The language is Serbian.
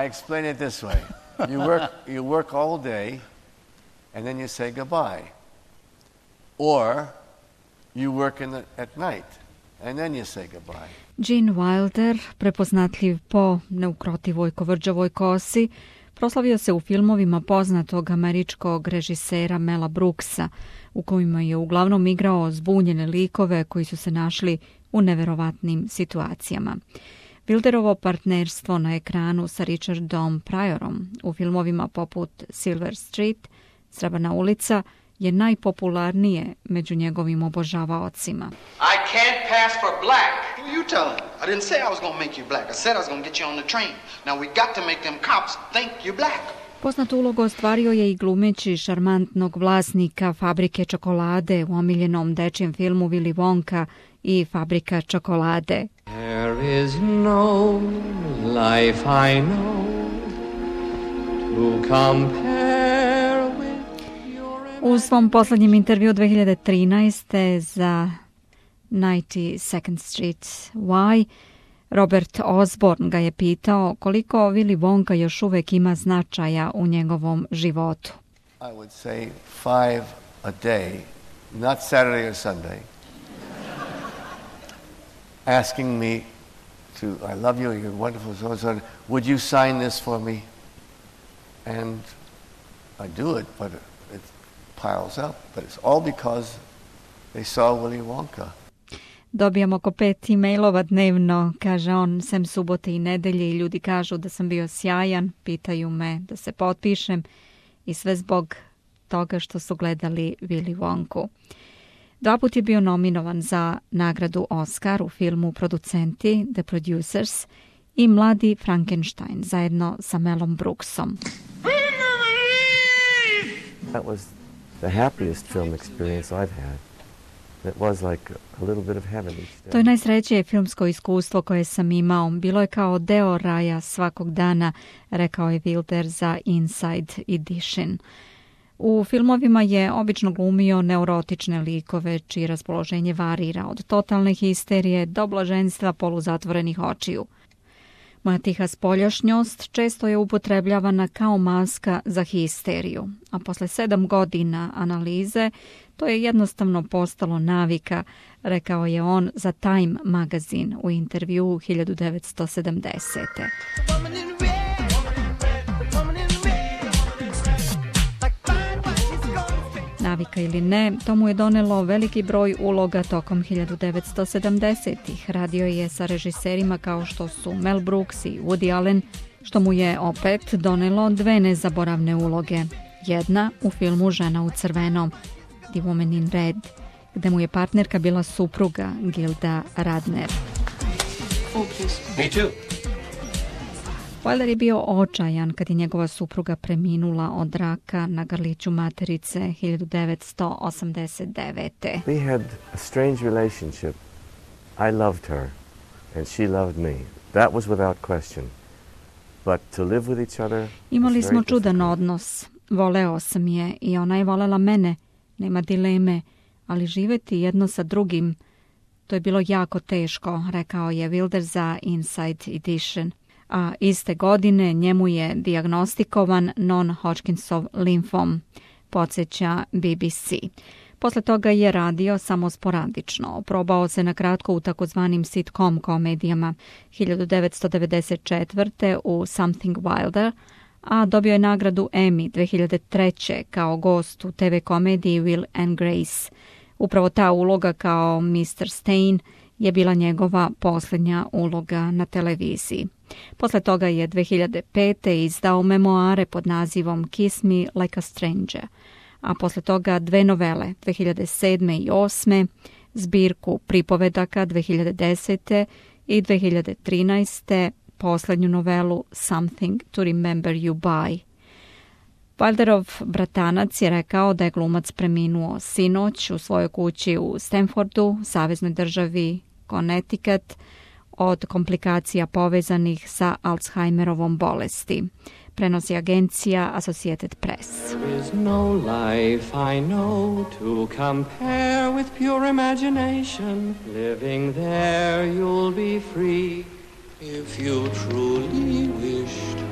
I explain it this way. You work all day and then you say goodbye. Or you work at night and then you say goodbye. Gene Wilder, prepoznatljiv po neukrotivoj kovrđavoj kosi, proslavio se u filmovima poznatog američkog režisera Mela Brooksa, u kojima je uglavnom igrao zbunjene likove koji su se našli u neverovatnim situacijama. Wilderovo partnerstvo na ekranu sa Richardom Pryorom u filmovima poput Silver Street, Srebrna ulica, je najpopularnije među njegovim obožavaocima. I can't pass for black. Who you telling? I didn't say I was gonna make you black. I said I was gonna get you on the train. Now we got to make them cops think you black. Poznatu ulogu ostvario je i glumeći šarmantnog vlasnika fabrike čokolade u omiljenom dečijem filmu Willy Wonka i Fabrika čokolade. There is no life I know to compare with your... U svom poslednjem intervju 2013. za 92nd Street Y, Robert Osborne ga je pitao koliko Willy Wonka još uvek ima značaja u njegovom životu. I would say 5 a day, not Saturday or Sunday. Asking me to, I love you, you're wonderful, so and so, would you sign this for me? And I do it, but it piles up. But it's all because they saw Willy Wonka. Dobijam oko 5 e-mailova dnevno, kaže on, sem subote i nedelje, i ljudi kažu da sam bio sjajan, pitaju me da se potpišem i sve zbog toga što su gledali Willy Wonku. 2 puta je bio nominovan za nagradu Oscar u filmu Producenti, The Producers, i Mladi Frankenstein zajedno sa Melom Brooksom. That was the happiest film experience I've had. It was like a little bit of heaven each day. To je najsrećnije filmsko iskustvo koje sam imao. Bilo je kao deo raja svakog dana, rekao je Wilder za Inside Edition. U filmovima je obično glumio neurotične likove, čije raspoloženje varira od totalne histerije do blaženstva poluzatvorenih očiju. Moja tiha spoljašnjost često je upotrebljavana kao maska za histeriju, a posle 7 godina analize to je jednostavno postalo navika, rekao je on za Time magazin u intervju 1970. Navika ili ne, to mu je donelo veliki broj uloga tokom 1970-ih. Radio je sa režiserima kao što su Mel Brooks i Woody Allen, što mu je opet donelo 2 nezaboravne uloge. Jedna u filmu Žena u crvenom, The Woman in Red, gde mu je partnerka bila supruga Gilda Radner. Me too. Wilder je bio očajan kad je njegova supruga preminula od raka na grliću materice 1989. We had a strange relationship. I loved her and she loved me. That was without question. But to live with each other... Imali smo čudan odnos. Voleo sam je i ona je volela mene. Nema dileme, ali živeti jedno sa drugim, to je bilo jako teško, rekao je Wilder za Inside Edition. A iste godine njemu je dijagnostikovan non-Hodgkinsov limfom, podsjeća BBC. Posle toga je radio samo sporadično. Probao se na kratko u takozvanim sitcom komedijama 1994. u Something Wilder, a dobio je nagradu Emmy 2003. kao gost u TV komediji Will and Grace. Upravo ta uloga kao Mr. Stein je bila njegova posljednja uloga na televiziji. Posle toga je 2005. izdao memoare pod nazivom Kiss Me Like a Stranger, a posle toga 2 novele 2007. i 2008. zbirku pripovedaka 2010. i 2013. poslednju novelu Something to Remember You By. Wilderov bratanac je rekao da je glumac preminuo sinoć u svojoj kući u Stanfordu, saveznoj državi Connecticut, od komplikacija povezanih sa Alzheimerovom bolesti, prenosi agencija Associated Press. There is no life I know to compare with pure imagination. Living there you'll be free if you truly wish to.